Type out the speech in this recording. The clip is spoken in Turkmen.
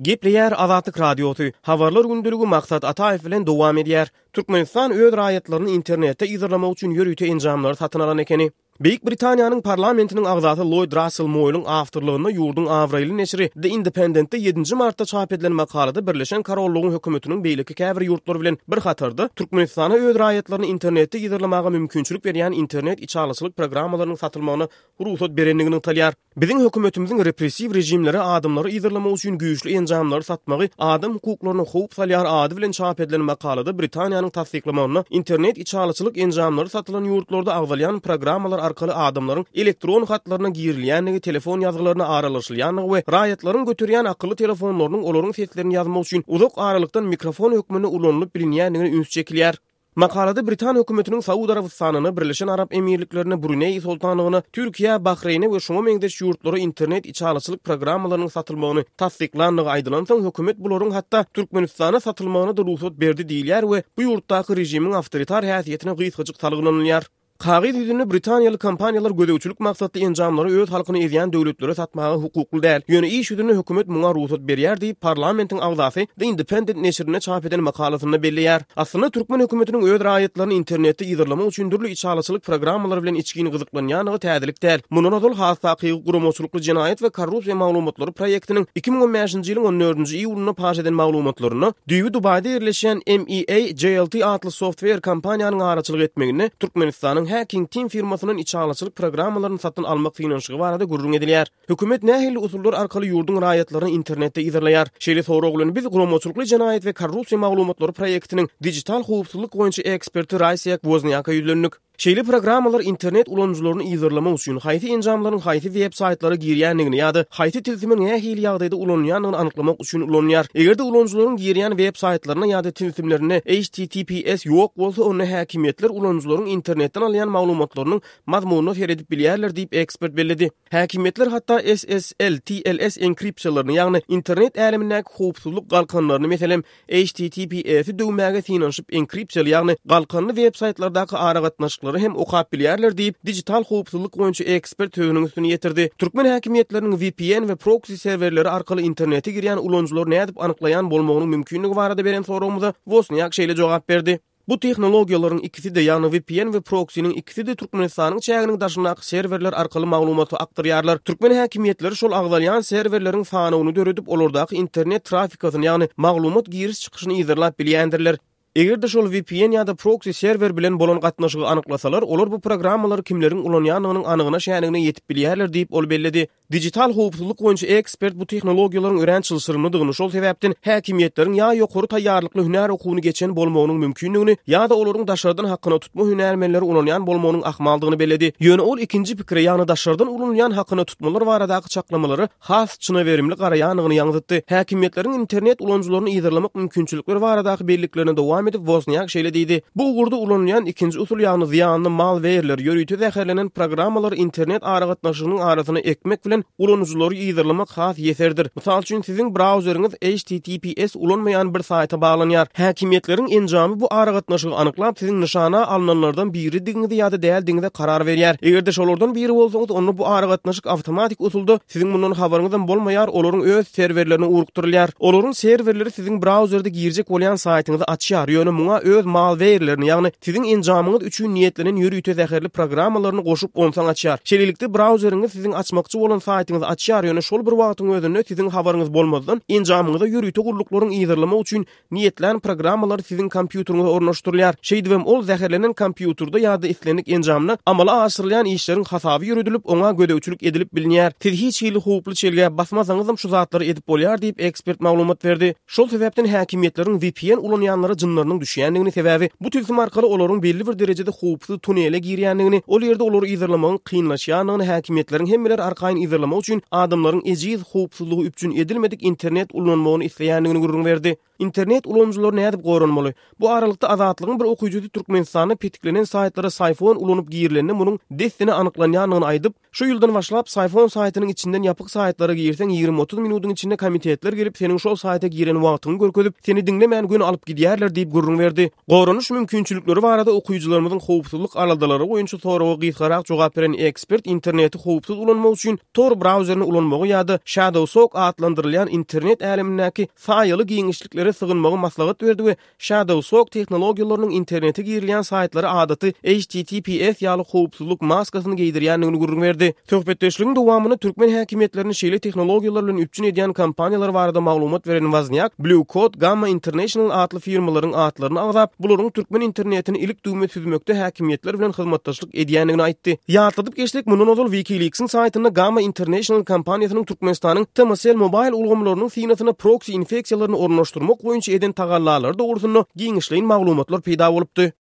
Gepleýär Azatlyk Radiosy, Habarlar gündeligi Maksat Ataýew bilen dowam edýär. Türkmenistan öz raýatlaryny internetde yzarlamak üçin ýörite enjamlary satyn alan ekeni. Beýik Britaniýanyň parlamentiniň agzasy Lloýd Rassel Moýlyň awtorlygynda ýurduň abraýly neşiri The Independent-de ýedinji martda çap edilen makalada Birleşen Korollygyň hökümetiniň beýleki käbir ýurtlar bilen bir hatarda Türkmenistana öz raýatlaryny internetde yzarlamaga mümkinçilik berýän internet içalyçylyk programmalarynyň satylmagyna rugsat berendigi nygtalýar. Biziň hökümetimiziň repressiw režimlere adamlary yzarlamak üçin güýçli enjamlary satmagy adam hukuklaryna howp salýar ady bilen çap edilen makalada Britaniýanyň tassyklamagynda internet içalyçylyk enjamlary satylan ýurtlarda agzalýan programmalar arkaly adamlaryň elektron hatlaryna girilýändigi, telefon ýazgylaryna aralaşylýandygy we raýatlaryň göterýän akylly telefonlarynyň olaryň seslerini ýazmak üçin uzak aralykdan mikrofon hökmünde ulanylyp bilinýändigine üns çekilýär. Makalada britan hökümetiniň Saud Arabystanyna, Birleşen Arap Emirliklerine, Bruneý Soltanlygyna, Türkiýä, Bahreýne we şuňa meňzeş ýurtlara internet içalyçylyk programmalarynyň satylmagyny tassyklandygy aýdylansoň, hökümet bularyň hatda Türkmenistana satylmagyna-da rugsat berdi diýilýär we bu ýurtdaky režimiň awtoritar häsiýetine gysgajyk salgylanylýar. Kagyz ýüzünde britaniýaly kompaniýalar gözegçilik maksatly enjamlary öz halkyny ezýän döwletlere satmaga hukukly däl. Ýöne iş ýüzünde hökümet muňa rugsat berýär diýip, parlamentiň agzasy The Independent neşirinde çap eden makalasynda belleýär. Aslynda türkmen hökümetiniň öz raýatlaryny internetde yzarlamak üçin dürli içalyçylyk programmalary bilen içgin gyzyklanýandygy täzelik däl. Mundan ozal has takygy guramaçylykly jenaýat we korrupsiýa maglumatlary proýektiniň 2015-nji ýylyň on dördünji iýulynda paş eden maglumatlarynda Düýbi Dubaýda ýerleşýän MEA JLT atly software kompaniýanyň araçylyk etmeginde Türkmenistanyň Hacking Team firmasyndan içalyçylyk programmalaryny satyn almak synanyşygy barada gürrüň edilýär. Hökümet nähili usullar arkaly ýurduň raýatlaryny internetde yzarlaýar? Şeýle sorag bilen biz Guramaçylykly jenaýat we korrupsiýa maglumatlary proýektiniň dijital howpsuzlyk boýunça eksperti Raýsiýak Wozniaka ýüzlendik. Şeýle programmalar internet ulanyjylaryny yzarlamak üçin haýsy enjamlaryň haýsy web saýtlara girýändigini ýa-da haýsy tilsimiň nähili ýagdaýda ulanylýandygyny anyklamak üçin ulanylýar. Eger-de ulanyjylaryň girýän web saýtlaryna ýa-da tilsimlerinde HTTPS ýok bolsa, onda häkimiýetler ulanyjylaryň internetden alýan maglumatlarynyň mazmunyna seredip bilýärler diýip, ekspert belledi. Häkimiýetler hatda SSL, TLS enkripsiýalaryny, ýagny internet älemindäki howpsuzlyk galkanlaryny, meselem, HTTPS-i döwmäge synanyşyp enkripsiýaly, ýagny galkanly web-saýtlardaky aragatnaşyklary hem okap bilýärler diýip, dijital howpsuzlyk boýunça ekspert sözüniň üstüni ýetirdi. Türkmen häkimiýetleriniň VPN we proksi serwerleri arkaly internete girýän ulanyjylary nädip anyklaýan bolmagynyň mümkinligi barada beren soragymyza Wosniak şeýle jogap berdi. Bu tehnologiýalaryň ikisi-de, ýagny VPN we proksiniň ikisi-de Türkmenistanyň çäginiň daşyndaky serwerler arkaly maglumaty akdyrýarlar. Türkmen häkimiýetleri şol agzalýan serwerleriň sanawyny döredip, olardaky internet trafikasyny, ýagny maglumat giriş-çykyşyny yzarlap bilýändirler. Eger-de şol VPN ýa-da proksi serwer bilen bolan gatnaşygy anyklasalar, olar bu programmalary kimleriň ulanýandygynyň anygyna-şänigine ýetip bilýärler diýip, ol belledi. Dijital howpsuzlyk boýunça ekspert bu tehnologiýalaryň örän çylşyrymlydygyny, şol sebäpden häkimiýetleriň ýa ýokary taýýarlykly hünär okuwyny geçen bolmagynyň mümkindigini, ýa-da olaryň daşardan hakyna tutma hünärmenleri ulanýan bolmagynyň ahmaldygyny belledi. Ýöne ol ikinji pikire, ýagny daşardan ulanylýan hakyna tutmalar baradaky çaklamalara has çynaberimli garaýandygyny ýaňzytdy. Häkimiýetleriň internet ulanyjylaryny yzarlamak mümkinçilikleri baradaky belliklerine dowam edip, Wozniak şeýle diýdi, Bu ugurda ulanylýan ikinji usul, ýagny zyýanly malweýrler, ýörite zäherlenen programmalary internet aragatnaşygynyň arasyna ekmek bilen ulanyjylary yzarlamak has ýeserdir. Mysal üçin, siziň brauzeriňiz HTTPS ulanmaýan bir saýta baglanýar. Häkimiýetleriň enjamy bu aragatnaşygy anyklap, siziň nyşana alnanlardan biridigiňizi ýa-da däldigiňize karar berýär. Eger-de şolardan biri bolsaňyz, onda bu aragatnaşyk awtomatik usulda Siziň mundan habaryňyzam bolmaýar, olaryň öz serwerlerine ugrukdyrylýar. Olaryň serwerleri siziň brauzerde girjek bolýan saýtyňyzy açýar, ýöne muňa öz malweýrlerini, ýagny siziň enjamyňyz üçin niýetlenen ýörite zäherli programmalaryny goşup onsoň açýar. Şeýlelikde brauzeriňiz siziň açmakçy bolan saýtyňyzy açýar, ýöne şol bir wagtyň özünde siziň habaryňyz bolmazdan enjamyňyza ýörite gulluklaryň yzarlamak üçin niýetlän programmalary siziň kompýuteriňize ornaşdyrylýar. Şeýdibem ol zäherlenen kompýuterde ýa-da islendik enjamda amala aşyrylýan işleriň hasaby ýöredilip, oňa gözegçilik edilip bilinýär. Siz hiç hili howply çelgä basmasaňyzam şu zatlary edip bolýar diýip, ekspert maglumat berdi. Şol sebäpden häkimiýetleriň VPN ulanýanlara jynlarynyň düşýändigini, sebäbi bu tilsim arkaly olaryň belli bir derejede howpsuz tunele girýändigini, ol ýerde olary yzarlamagyň kynlaşýandygyny, häkimiýetleriň hemmeleri arkaýyn yzarlamak üçin adamlaryň ejiz howpsuzlygy üpjün edilmedik internet ulanmagyny isleýändigini gürrüň berdi. Internet ulanyjylary nädip goranmaly? Bu aralykda Azatlygyň bir okyjysy Türkmenistanda petiklenen saýtlara Syfon ulanyp girilende munuň dessine anyklanýandygyny aýdyp, şu ýyldan başlap Syfon saýtynyň içinden ýapyk saýtlara girseň 20-30 minudyň içinde komitetler gelip seniň şol saýta giren wagtyňy görkezip, seni diňlemän göni alyp gidýärler diýip gürrüň berdi. Goranyş mümkinçilikleri barada okyjylarymyzyň howpsuzlyk aladalary boýunça soraga gysgarak jogap beren ekspert interneti howpsuz ulanmak üçin tor. Tor brauzerini ulanmagy ýa-da Shadowsock atlandyrylýan internet älemindäki saýaly giňişliklere sygynmagy maslahat berdi we Shadowsock tehnologiýalarynyň internete girilýän saýtlara adaty HTTPS ýaly howpsuzlyk maskasyny geýdirýändigini gürrüň berdi. Söhbetdeşligiň dowamynda türkmen häkimiýetlerini şeýle tehnologiýalar bilen üpjün edýän kompaniýalar barada maglumat beren Waznýak, Blue Code, Gamma International atly firmalaryň atlaryny agzap, bularyň türkmen internetini ilik-düwme süzmekde häkimiýetler bilen hyzmatdaşlyk edýändigini aýtdy. Ýatladyp geçsek, mundan ozal WikiLeaks-iň saýtynda Gamma International kompaniýasynyň Türkmenistanyň Tmcell Mobile ulgamlarynyň synasyna proksi infeksiýalaryny ornaşdyrmak boýunça eden tagallalary dogrusynda giňişleýin maglumatlar peýda bolupdy.